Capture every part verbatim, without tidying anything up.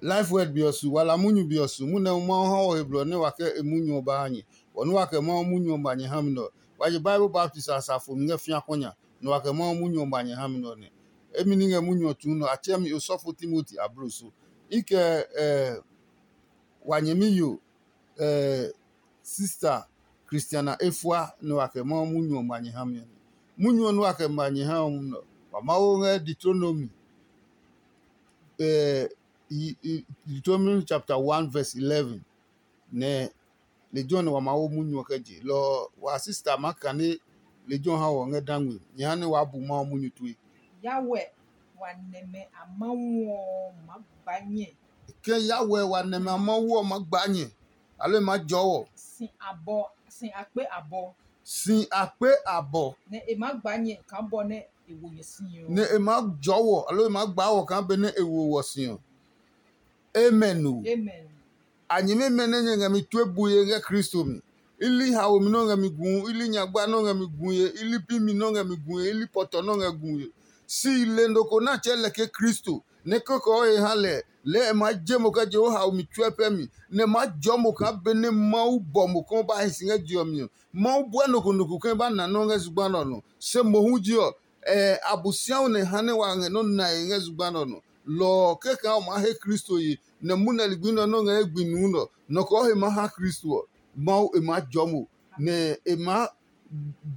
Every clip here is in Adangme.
Life word be ɔ su, wala munyu be ɔ su, munyu nɛ Mawu ha wɔ he blɔ nɛ wa kɛ e munyu ɔ ba ha nyɛ. Bɔ nɛ wa kɛ Mawu munyu ɔ ba nyɛ ha mi nɛ ɔ, wa je Bible baptist a safo mi ngɛ fĩa kɔ nya, nɛ wa kɛ Mawu munyu ɔ ba nyɛ ha mi nɛ ɔ nɛ. Emi ní ngɛ munyu ɔ tsuu nɛ ɔ, a tsɛ mi osɔfo Timoti ablo so. I kɛ eh, wa nyɛmi yo eh, sista Christiana efua nɛ wa kɛ Mawu munyu ɔ ba nyɛ ha mi ɔ nɛ. Munyu ɔ nɛ wa kɛ ba nyɛ ha ɔ nɛ ɔ, wa Mawu ngɛ Deuteronomy eh, Deuteronomy chapter one verse eleven nɛ lejɛ ɔ nɛ wa maa wo munyu ɔ kɛ je. Lɔ ɔ, wa sista maa kane lejɛ ɔ ha wɔ ngɛ dangme. Nyɛ ha nɛ waa bu Mawu munyu tue. Yawɛ wa nɛmɛ a Mawu ɔ maa gba nyɛ. Ke Yawɛ wa nɛmɛ a Mawu ɔ maa gba nyɛ, aloo e maa jɔɔ wɔ. Si abɔ, si akpe abɔ. Si akpe abɔ. Nɛ e maa gba nyɛ kaa bɔ nɛ e wo nyɛ si ɔ. Nɛ e maa jɔɔ wɔ, aloo e maa gbaa wɔ kaa benɛ e wo wɔ si ɔ. Amen o. Amen. A nyɛmimɛ nɛ nyɛ ngɛ mi tue bue ngɛ Kristo mi. I li haomi nɔ́ ngɛ mi guu, i li nyagba nɔ́ ngɛ mi guu ye, i li bimi nɔ́ ngɛ mi guu ye, i li pɔtɔ nɔ́ ngɛ guu ye. Si i le nɔ ko nɛ a tsɛɛ lɛ ke Kristo, nɛ kɔkɔɔ he ha lɛ, lɛɛ e maa je mo kɛ je o haomi tsuɛ pɛ mi, nɛ e maa jɔɔ mo kaa benɛ Mawu bɔ mo kɛ o ba hi si ngɛ je ɔ mi ɔ. Mawu bua nɔ ko nɔ ko ke ba na nɔ́ ngɛ zugba nɛ ɔ nɔ. Se mohu ji ɔ, Abosiami nɛ ha nɛ wa ngɛ nɔ́ nae ngɛ zugba nɛ ɔ nɔ. Lɔ ɔ, kɛkaa o maa he Kristo ye, nɛ munɛ ligbi nɛ ɔ nɔ́ ngɛ ye gbi nuu nɛ ɔ, nɔ kɔɔ he maa ha Kristo ɔ, Mawu e maa jɔɔ mo, nɛ e maa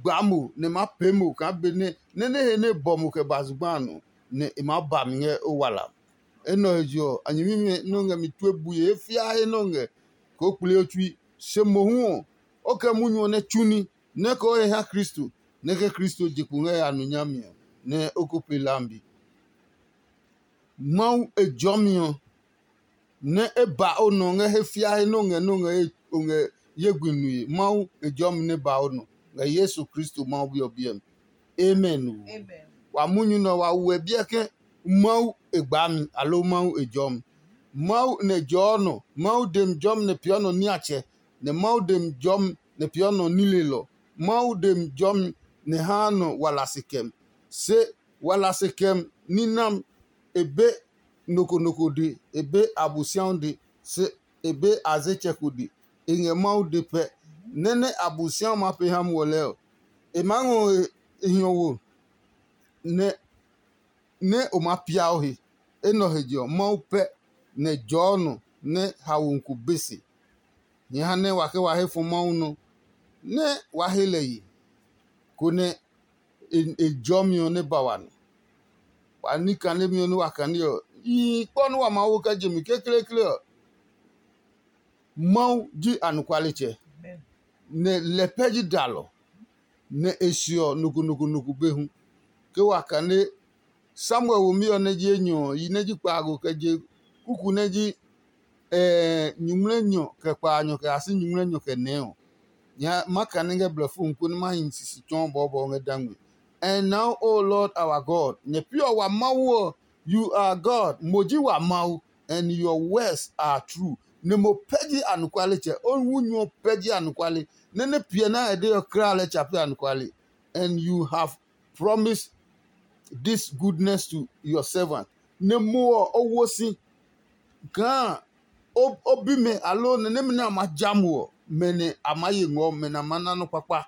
gbaa mo, nɛ e maa pee mo kaa benɛ nɛ́ nɛ he nɛ e bɔ mo kɛ ba zugba a nɔ, nɛ e maa ba mi ngɛ o wala. Enɛ ɔ he je ɔ, a nyɛmimɛ nɛ o ngɛ mi tue bue he fiaa he nɛ o ngɛ koo kpli o tsui. Se mohu ɔ, o kɛ munyu ɔ nɛ tsu ní, nɛ kɛ o he ha Kristo, nɛ kɛ Kristo je kpo ngɛ ya nu nyami ɔ, nɛ o ko pee hlami. Mawu e jɔmi ɔ, nɛ e ba o nɔ ngɛ he fiahi nɛ o ngɛ nɛ o ngɛ ye gbi nue. Mawu e jɔmi nɛ ba o nɔ ngɛ Yesu Kristo Mawu Bi ɔ biɛ mi. Amen o. Wa munyu nɛ wa wuɛ biɛ ke Mawu e gbaa mi, aloo Mawu e jɔɔ mi. Mawu nɛ jɔɔ nɔ, Mawu de mi jɔmi nɛ peeɔ nɔ niatsɛ, nɛ Mawu de mi jɔmi nɛ peeɔ nɔ nilelɔ. Mawu de mi jɔmi nɛ haa nɔ wala se kɛ mi. Se wala se kɛ mi ní nam e be nɔ ko nɔ ko de, e be Abosiami de, se e be azetsɛ ko de, e ngɛ Mawu de pɛ. Nɛ́ nɛ Abosiami maa pee ha muɔ lɛɛ ɔ, e maa ngɔ e hiɔwo nɛ nɛ o maa pia o he. Enɛ ɔ he je ɔ, Mawu pɛ nɛ jɔɔ nɔ nɛ haomi ko be se. Nyɛ ha nɛ wa ke wa he fɔ Mawu nɔ, nɛ wa he lɛ ye, konɛ e jɔmi ɔ nɛ ba wa nɔ. Wa ní kanemi ɔ nɛ wa kane ɔ, yihi kpɔ nɛ wa maa wo kɛ je mi kekleekle ɔ, Mawu ji anɔkualetsɛ, nɛ lɛ pɛ ji dalɔ, nɛ e se ɔ nɔ ko nɔ ko nɔ ko be hu. Ke wa kane Samuel womi ɔ nɛ ji enyɔ ɔ, yi nɛ ji kpaago kɛ je kuku nɛ ji nyuŋmlɛnyɔ kɛ kpaanyɔ kɛ ya si nyuŋmlɛnyɔ kɛ nɛɛ ɔ, nyɛ ma kane ngɛ blɛfo mi konɛ ma hi sisi tsɔɔ bɔɔbɔɔ ngɛ dangme. And now, O Lord our God, nyɛ pi ɔ wa Mawu ɔ, you are God, mo ji wa Mawu, and your words are true. Nɛ mo pɛ ji anɔkualetsɛ, o wu nyu ɔ pɛ ji anɔkuale, nɛ nɛ piɛ nɛ a de ɔ kra lɛ tsa pɛ anɔkuale. And you have promised this goodness to your servant. Nɛ mo ɔ, o wo si kaa o bimɛ aloo nɛ nɛmɛ nɛ a ma ja mo ɔ, mɛ nɛ a maa ye ngɔɔ, mɛ nɛ a maa na nɔ́ kpakpa.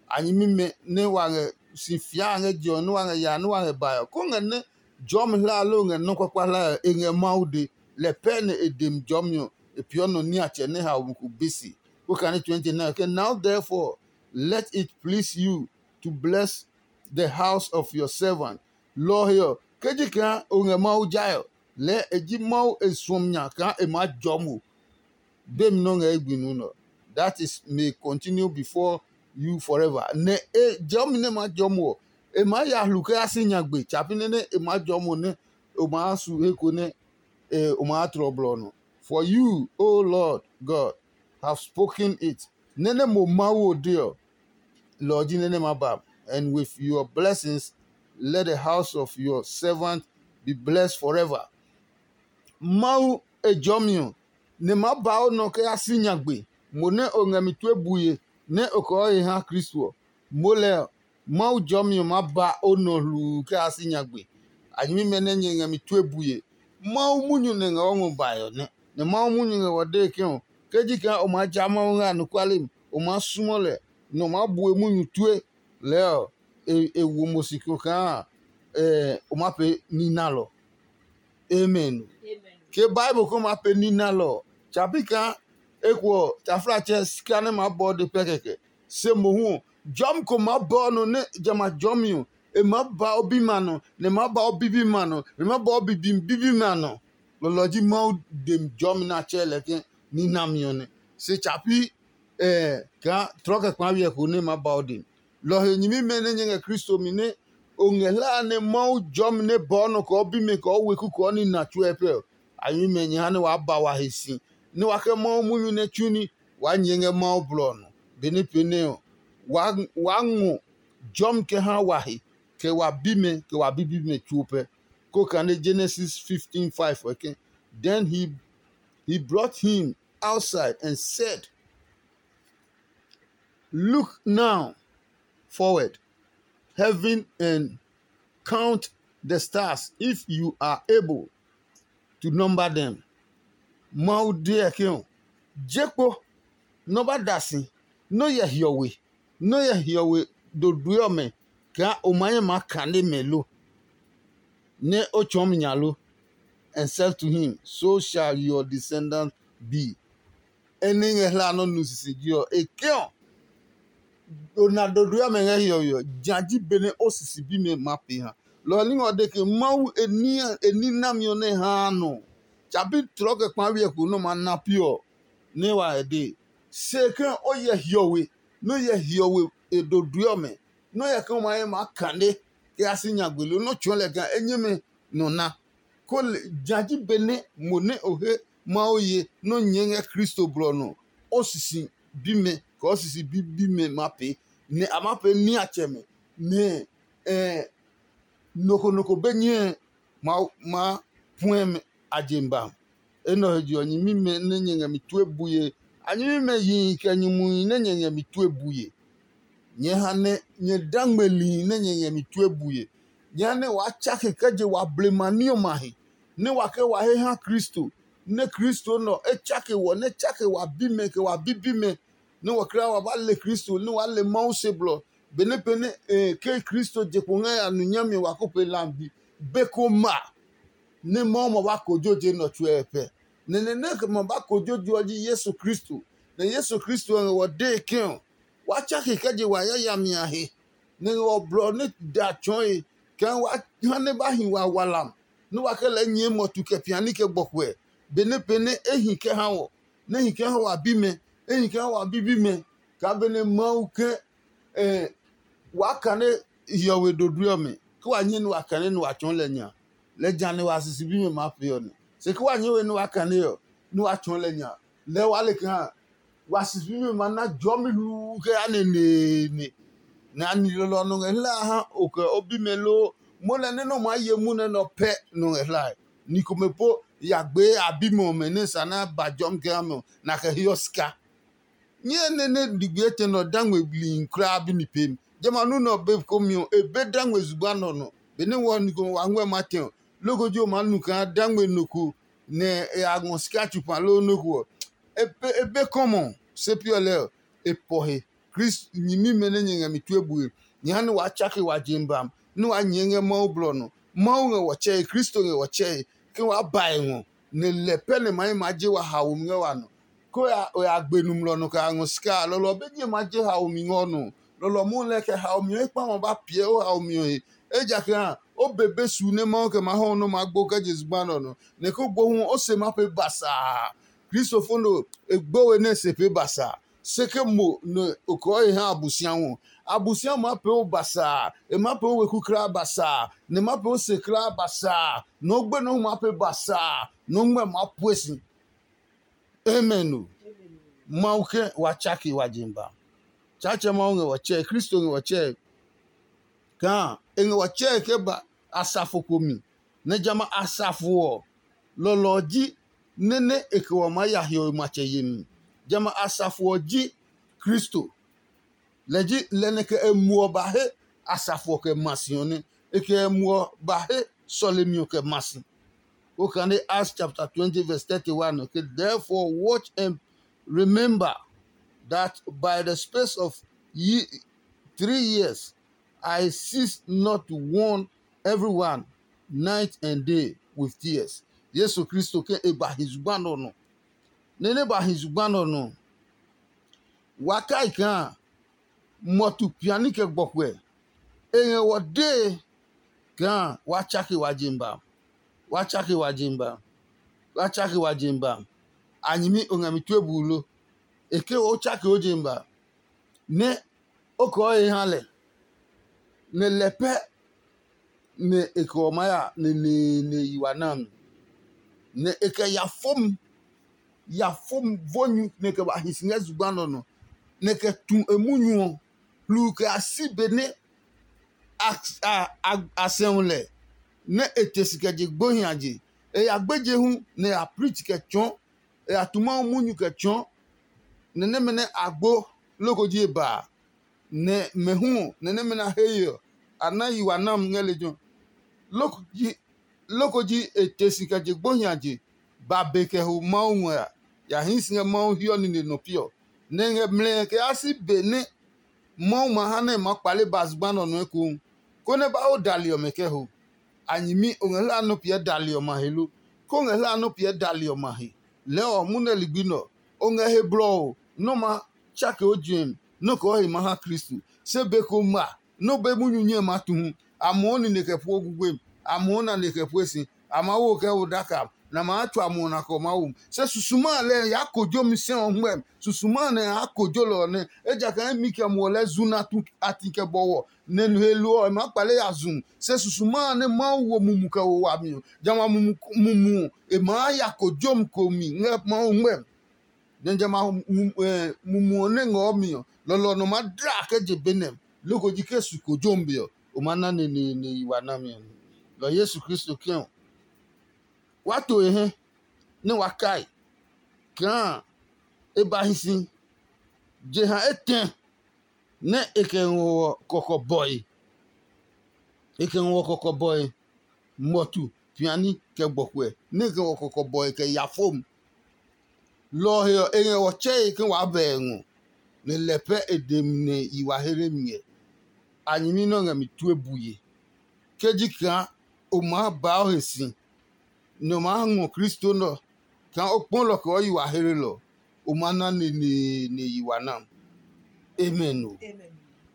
A nyɛmimɛ nɛ wa ngɛ si fiaa ngɛ je ɔ, nɛ wa ngɛ yaa, nɛ wa ngɛ bae ɔ, kó ngɛ nɛ jɔɔmi hlae aloo ngɛ nɔ́ kpakpa hlae ɔ, e ngɛ Mawu de. Lɛ pɛ nɛ e de mi jɔɔmi ɔ, e peeɔ nɔ niatsɛ nɛ haomi ko be se. Kó kane twenty-nine ke, now therefore let it please you to bless the house of your servant. Lɔ ɔ he ɔ, ke ji kaa o ngɛ Mawu jae ɔ, lɛɛ e ji Mawu e suɔmi nya kaa e maa jɔɔ mo. Be mi nɔ́ ngɛ ye gbi nuu nɛ ɔ, that is may continue before you forever. Nɛ e jɔmi nɛ maa jɔɔ mo ɔ, e maa ya hlu kɛ ya si nyagbe tsapi nɛ nɛ e maa jɔɔ mo nɛ o maa su he ko nɛ o maa tlɔ blɔ ɔ nɔ. For you, O Lord God, have spoken it. Nɛ́ nɛ mo Mawu ɔ de ɔ, lɔ ɔ ji nɛ́ nɛ ma ba, and with your blessings let the house of your servant be blessed forever. Mawu e jɔmi ɔ, nɛ ma ba o nɔ kɛ ya si nyagbe, mo nɛ o ngɛ mi tue bue nɛ o kɔɔ he ha Kristo ɔ. Mo lɛ ɔ, Mawu jɔmi ɔ maa ba o nɔ hluu kɛ ya si nyagbe. A nyɛmimɛ nɛ nyɛ ngɛ mi tue bue, Mawu munyu nɛ ngɛ wɔ ngɔ bae ɔ nɛ. Nɛ Mawu munyu ngɛ wɔ dee ke ɔ, ke ji kaa o maa ja Mawu ngɛ anɔkuale mi, o maa suɔ lɛ, nɛ o maa bue munyu tue lɛɛ ɔ, e wo mo si ko kaa o maa pee ní nalɔ. Amen. Ke Bible ko maa pee ní nalɔ ɔ, tsa pi kaa eko ɔ, taflatsɛ sika nɛ maa bɔɔ de pɛ kɛkɛ. Se mohu ɔ, jɔmi ko maa ba o nɔ nɛ jamɛ a jɔmi ɔ, e maa ba o bimɛ a nɔ, nɛ e maa ba o bibimɛ a nɔ, nɛ e maa ba o bibimɛ a nɔ. Lɔlɔ ji Mawu dem jɔmi nɛ a tsɛɛ lɛ ke ní nami ɔ nɛ. Se tsa pi kaa tlɔ kɛ kpaavi ɔ ko nɛ e maa ba o dem. Lɔ ɔ he nyɛmimɛ nɛ nyɛ ngɛ Kristo mi nɛ o ngɛ hlaa nɛ Mawu jɔmi nɛ bɔɔ nɔ kɔɔ bimɛ kɔɔ weku kɔɔ nina tsuɛ pɛ ɔ, a nyɛmimɛ nyɛ ha nɛ waa ba wa he si, nɛ wa kɛ Mawu munyu nɛ tsu ní waa nyɛɛ ngɛ Mawu blɔ ɔ nɔ. Benɛ pee nɛ ɔ, waa ngɔ jɔmi kɛ ha wa he, kɛ wa bimɛ, kɛ wa bibimɛ tsuo pɛ. Ko kane Genesis fifteen five ɔ ke, then he, he brought him outside and said, "Look now forward heaven and count the stars if you are able to number them." Mawu deɛ ke ɔ, je kpo nɔ ba da si nɔ yɛ hiɔwe, nɔ yɛ hiɔwe dodue ɔmɛ kaa o ma nyɛ maa kane mɛ lo, nɛ o tsɔɔ mi nya lo? And said to him, "So shall your descendants be." Ɛ nɛ ngɛ hla nɔ nu sisiji ɔ, e ke ɔ, o na dodue ɔmɛ ngɛ hiɔwe ɔ, ja ji benɛ o sisi bimɛ maa pee ha. Lɔ ɔ ní ngɛ ɔ de ke Mawu e ní e ní nami ɔ nɛ haa nɔ. Tsa pi tlɔ kɛ kpaavi ɛ ko nɛ o ma na pi ɔ, nɛ wa e dee. Se ke o yɛ hiɔwe, nɛ o yɛ hiɔwe e dodue ɔmɛ, nɛ o yɛ ke o ma ye maa kane kɛ ya si nya gbele, nɛ o tsɔɔ lɛ kaa enyɛmɛ nɔ na. Ko le ja ji benɛ mo nɛ o he Mawu ye nɛ o nyɛɛ ngɛ Kristo blɔ ɔ nɔ, o sisi bimɛ kɛ o sisi bibimɛ ma pee, nɛ a maa pee niatsɛmɛ, nɛ nɔ ko nɔ ko be nyɛe maa puɛ a je ba. Enɛ ɔ he je ɔ, nyɛmimɛ nɛ nyɛ ngɛ mi tue bue, a nyɛmimɛ yihi kɛ nyumuhi nɛ nyɛ ngɛ mi tue bue. Nyɛɛ ha nɛ nyɛ da ngmeli nɛ nyɛ ngɛ mi tue bue. Jehanɛ waa tsake kɛ je wa blema ní ɔmɛ a he, nɛ wa kɛ wa he ha Kristo, nɛ Kristo nɛ ɔ e tsake wɔ, nɛ tsake wa bimɛ kɛ wa bibimɛ, nɛ wɔ kra wa ba le Kristo, nɛ waa le Mawu se blɔ. Benɛ pɛ nɛ e ke Kristo je kpo ngɛ ya nu nyami wa ko pe lambi, be ko ma nɛ Mawu ma ba kojo je nɛ ɔ tsuɛ pɛ. Nɛ nɛ nɛ ma ba kojo je ɔ ji Yesu Kristo, nɛ Yesu Kristo ɔ ngɛ wɔ dee ke ɔ, waa tsake kɛ je wa yayami a he, nɛ ngɛ ɔ blɔ nɛ da tsɔɔe, kaa wa ha nɛ ba hi wa walam, nɛ wa kɛ lɛɛ nyɛɛ mɔtu kɛ piani kɛ gbɔkuɛ, benɛ pɛ nɛ e hi kɛ ha wɔ, nɛ e hi kɛ ha wa bimɛ, e hi kɛ ha wa bibimɛ, kaa benɛ Mawu ke waa kane hiɔwe dodue ɔmɛ, ke wa nyɛ nɛ wa kane nɛ wa tsɔɔ lɛ nya. Lɛ ja nɛ wa sisi bimɛ maa pee ɔ nɛ. Se ke wa nyɛ we nɛ wa kane ɔ, nɛ wa tsɔɔ lɛ nya. Lɛɛ waa le kaa wa sisi bimɛ ma na jɔmi hluu kɛ ya neneene. Nɛ a ni lɔlɔ ɔ nɔ ngɛ hlae ha o kɛ o bimɛ loo, mo lɛ nɛ nɔ maa ye munɛ nɛ ɔ pɛ nɔ ngɛ hlae. Ni komɛ po ya gbee a bimɛ ɔmɛ nɛ sa nɛ a ba jɔmi kɛ ha mɛ ɔ, nɛ a kɛ heɔ sika. Nyɛɛ nɛ nɛ ligbi etɛ nɛ ɔ da ngmɛ blihi kulaa bi mi peemi. Jamɛ a nu nɛ ɔ be komi ɔ, e be da ngmɛ zugba nɛ ɔ nɔ. Benɛ wɔ ni komɛ wa ngmɛ ma tɛ ɔ, loko ji o maa nu kaa da ngmɛ nɔ ko nɛ e ya ngɔ sika tsu kpa loo nɔ ko ɔ, e be kɔmɔ se pi ɔ lɛɛ ɔ, e pɔ he. Kristo nyɛmimɛ nɛ nyɛ ngɛ mi tue bue, nyɛ ha nɛ waa tsake wa je mi ba mi, nɛ waa nyɛɛ ngɛ Mawu blɔ nɔ. Mawu ngɛ wɔ tsɛe, Kristo ngɛ wɔ tsɛe, ke waa ba e ngɔ, nɛ lɛ pɛ nɛ ma ye maa je wa haomi ngɛ wa nɔ. Ke o ya gbe nɔmlɔ nɔ kɛ ya ngɔ sika a, lɔlɔ be ji e maa je haomi ngɛ o nɔ. Lɔlɔ mohu lɛɛ kɛ haomi ɔ ekpa ma ba piɛ o haomi ɔ he. Ejakaa o be be su nɛ Mawu kɛ maa hɔ nɛ o maa gbo kɛ je zugba nɛ ɔ nɔ, nɛ ko gbo hu o se ma pee basaa. Kristofo no e gbo we nɛ e se pee basaa. Se ke mo nɛ o kɔɔ he ha Abosiamu ɔ, Abosiamu maa pee o basaa, e maa pee o weku kulaa basaa, nɛ e maa pee o se kulaa basaa, nɛ o gbenɔ hu maa pee basaa, nɛ o ngmɛ maa pue si. Amen o. Mawu ke wa tsake wa je ba. Tsaatsɛ Mawu ngɛ wɔ tsɛe, Kristo ngɛ wɔ tsɛe. Kaa e ngɛ wɔ tsɛe kɛ ba asafo ko mi, nɛ jamɛ a asafo ɔ, lɔlɔ ɔ ji nɛ nɛ e kɛ wɔ maa ya hiɔwe matsɛ yemi. Jamɛ a asafo ɔ ji Kristo. Lɛ ji lɛ nɛ kɛ e muɔ ba he asafo ɔ kɛ ma si ɔ nɛ. E kɛ e muɔ ba he sɔlemi ɔ kɛ ma si. Okane Acts chapter twenty verse thirty-one, okay? Therefore watch and remember that by the space of ye- three years I cease not to warn everyone night and day with tears. Yesu Kristo ke e ba hi zugba nɔ nɔ. Nɛ nɛ ba hi zugba nɔ nɔ. Wa kai kaa mɔtu piani kɛ gbɔkuɛ. E ngɛ wɔ dee kaa wa tsake wa jemba. Wa tsake wa jemba. Wa tsake wa jemba. A nyɛmi o ngɛ mi tue buu lo? E ke o tsake o jemba. Nɛ o kɔɔ he ha lɛ, nɛ lɛ pɛ nɛ e kɛ ɔ maa ya neneene yi wa na mi. Nɛ e kɛ ya fom, ya fom vo nyu nɛ e kɛ ba hi si ngɛ zugba nɔ nɔ, nɛ e kɛ tu e munyu ɔ hluu kɛ ya si benɛ a, a, a, a sɛu lɛ, nɛ e te si kɛ je gbohi a je. E ya gbeje hu nɛ e ya preach kɛ tsɔɔ, e ya tu Mawu munyu kɛ tsɔɔ. Nɛ nɛmɛ nɛ a gbo loko ji e ba a, nɛ mɛ hu ɔ, nɛ nɛmɛ nɛ a he ye ɔ, a na yi wa nami ngɛ lejɛ ɔ. Loko ji loko ji e te si kɛ je gbohi a je ba be kɛ ho Mawu ngɔ ya, ya hii si ngɛ Mawu hiɔ nine nɔ pi ɔ. Nɛ e ngɛ mlɛɛ kɛ yaa si be nɛ Mawu ma ha nɛ e maa kpale ba zugba nɛ ɔ nɔ ekohu, konɛ ba o dali ɔmɛ kɛ ho. A nyɛmi o ngɛ hlaa nɔ́ piɛ dali ɔmɛ a he lo? Ke o ngɛ hlaa nɔ́ piɛ dali ɔmɛ a he, lɛɛ ɔ, munɛ ligbi nɛ ɔ, o ngɛ he blɔ ɔ nɔ́ ma tsake o juɛmi nɔ́ kɛ o he ma ha Kristo. Se be ko ma nɔ́ be munyu nyɛe maa tu hu, a muɔ nine kɛ pue gugbe, a muɔ nane kɛ pue si, a maa wo kɛ wo daka, nɛ a maa tsu a muɔ na kɛ ɔ maa wo. Se susuma a lɛɛ yaa kojomi sɛ ɔ ngmɛmi. Susuma a nɛ yaa kojo lɛ ɔ nɛ, ejakaa imi kɛ muɔ lɛɛ zu nɛ a tu a ti kɛ bɔwɔ, nɛ he lo ɔ, e maa kpale ya zu. Se susuma a nɛ Mawu wo mumi kɛ wo wami ɔ, jamɛ a mumi ɔ, e maa ya kojomi ko mi ngɛ Mawu ngmɛmi. Nɛ jamɛ a mumi ɔ nɛ ngɔɔ mi ɔ, lɔlɔ ɔ nɔ maa dla kɛ je be nɛ, loko ji ke su kojomi be ɔ, o maa na neneene yi wa nami ɔ. Lɔ Yesu Kristo kɛ ɔ, wa to e hɛ nɛ wa kai kaa e ba hi si. Jeha etɛ nɛ e kɛ ngɔ ɔ kɔkɔbɔe. E kɛ ngɔ ɔ kɔkɔbɔe, muɔtu, piani, kɛ gbɔkuɛ, nɛ e kɛ ngɔ ɔ kɔkɔbɔe kɛ ya fom. Lɔ ɔ he ɔ, e ngɛ ɔ tsɛe ke waa bɛ e ngɔ, nɛ lɛ pɛ e demi nɛ yi wa he nɛ mi ngɛ. A nyɛmi nɛ ɔ ngɛ mi tue bue. Ke ji kaa o maa baa o he si, nɛ o maa ngɔ Kristo nɛ ɔ, kaa o kpɔ lɔ kɛ o yi wa hlelɔ, o maa na neneene yi wa nam. Amen o.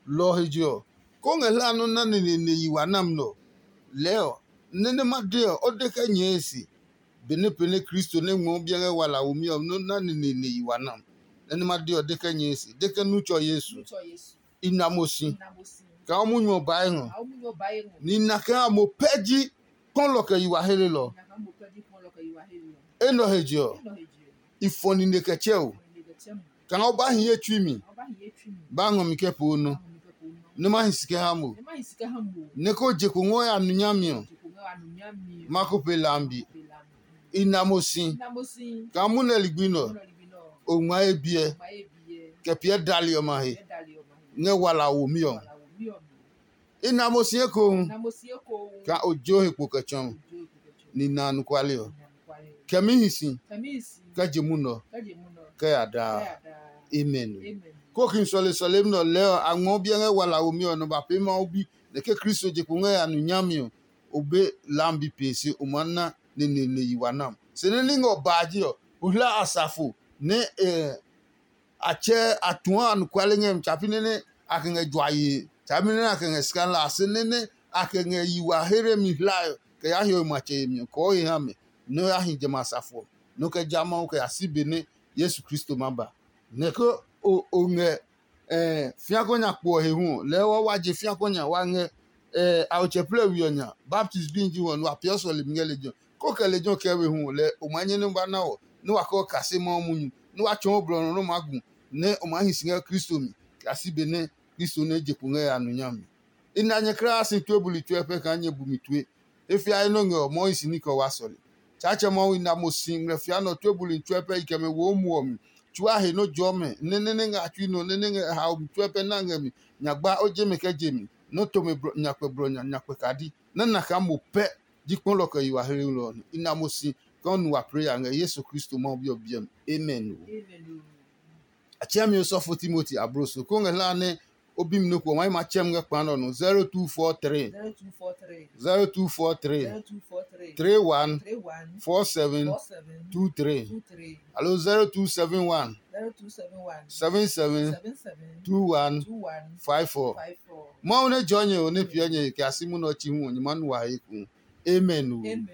Lɔ ɔ he je ɔ, ke o ngɛ hlaa nɔ́ na neneene yi wa nam nɛ ɔ, lɛɛ ɔ, nɛ nɛ ma de ɔ, o de kɛ nyɛɛ e se. Benɛ pee nɛ Kristo nɛ ngmɔ biɛ ngɛ wala womi ɔ nɔ́ na neneene yi wa nam. Nɛ nɛ ma de ɔ, de kɛ nyɛɛ e se, de ke nu tsɔ Yesu. I na mo si kaa o munyu ɔ bae ngɔ, nɛ i na kaa mo pɛ ji kpɔlɔ kɛ yi wa helelɔ. Enɛ ɔ he je ɔ, i fɔ nine kɛ tsɛ o. Kaa o ba hi ye tsui mi, ba ngɔ mi kɛ poo nɔ, nɛ ma hi si kɛ ha mo, nɛ ko je ko ngɔ ya nu nyami ɔ, ma ko pe lambi. I na mo si kaa munɛ ligbi nɛ ɔ, o ngma ye biɛ kɛ piɛ dali ɔmɛ a he ngɛ wala womi ɔ. I na mo si ekohu kaa o jo he kpo kɛ tsɔ mi, ni na anɔkuale ɔ. Kɛ mi hi si kɛ je munɔ kɛ ya daa. Amen. Kokin sɔle sɔlemi nɛ ɔ lɛɛ ɔ, a ngmɔ biɛ ngɛ wala womi ɔ nɔ ba pee Mawu bi, nɛ ke Kristo je kpo ngɛ ya nu nyami ɔ, o be lambi pee se o maa na neneene yi wa nam. Se nɛ ní ngɛ ɔ baa ji ɔ, o hla asafo nɛ a tsɛ a tuɔ anɔkuale ngɛ mi tsapi nɛ nɛ a kɛ ngɛ jua yee, tsapi nɛ nɛ a kɛ ngɛ sika la se nɛ nɛ a kɛ ngɛ yi wa here mi hlae kɛ yaa hiɔwe matsɛ yemi ɔ kɔɔ he ha mɛ, nɛ o ya hi jamɛ a safo ɔ, nɛ o kɛ ja Mawu kɛ ya si be nɛ Yesu Kristo ma ba. Nɛ ke o ngɛ fiakɔ nya kpo ɔ he hu ɔ, lɛɛ wa wa je fiakɔ nya wa ngɛ aotsɛplɛ we ɔ nya, baptist bi ji wɔ nɛ wa peeɔ sɔlemi ngɛ lejɛ ɔ. Ko kɛ lejɛ ɔ kɛ we hu ɔ, lɛ o maa nyɛ nɛ ba na wɔ, nɛ wa kɛ o kase Mawu munyu, nɛ wa tsɔɔ blɔ nɔ nɛ o maa gu, nɛ o maa hi si ngɛ Kristo mi, kɛ ya si be nɛ Kristo nɛ je kpo ngɛ ya nu nyami. I na nyɛ kulaa si tue buli tue pɛ kaa nyɛ bu mi tue. E fiae nɔ ngɛ ɔ, Mawu hi si ní kɛ o wa sɔle. Tsaatsɛ Mawu i na mo si ngmlɛ fia nɛ ɔ tue buli tue pɛ i kɛ mɛ wo o muɔ mi. Tsuaa he nɔ́ jɔɔ mɛ, nɛ nɛ nɛ ngɛ a tsui nɔ, nɛ nɛ ngɛ haomi tue pɛ na ngɛ mi. Nyagba o je mɛ kɛ je mi, nɔ́ to mɛ nyakpɛ blɔ nya nyakpɛ kadi, nɛ na kaa mo pɛ Yi kpɔlɔ kɛ yi wa hlelɔ ɔ, i na mo si kɛ o nu wa prayer ngɛ Yesu Kristo Mawu Bi ɔ biɛ mi. Amen. O. A tsɛ mi osɔfo Timoti abro so ko ngɛ hla nɛ o bi mi nɔ ko wa ma tsɛ mi ngɛ kpa nɔ no zero two four three zero two four three zero two four three zero two four three three one three one four seven four seven two three two three alo zero two seven one zero two seven one seven seven seven seven two one two one five four. Five four. Mawu nɛ jɔ nyɛ o nɛ piɛ nyɛ kɛ a si munɔ tsi hu nyɛ ma nu wa he ku. Amen o. Amen.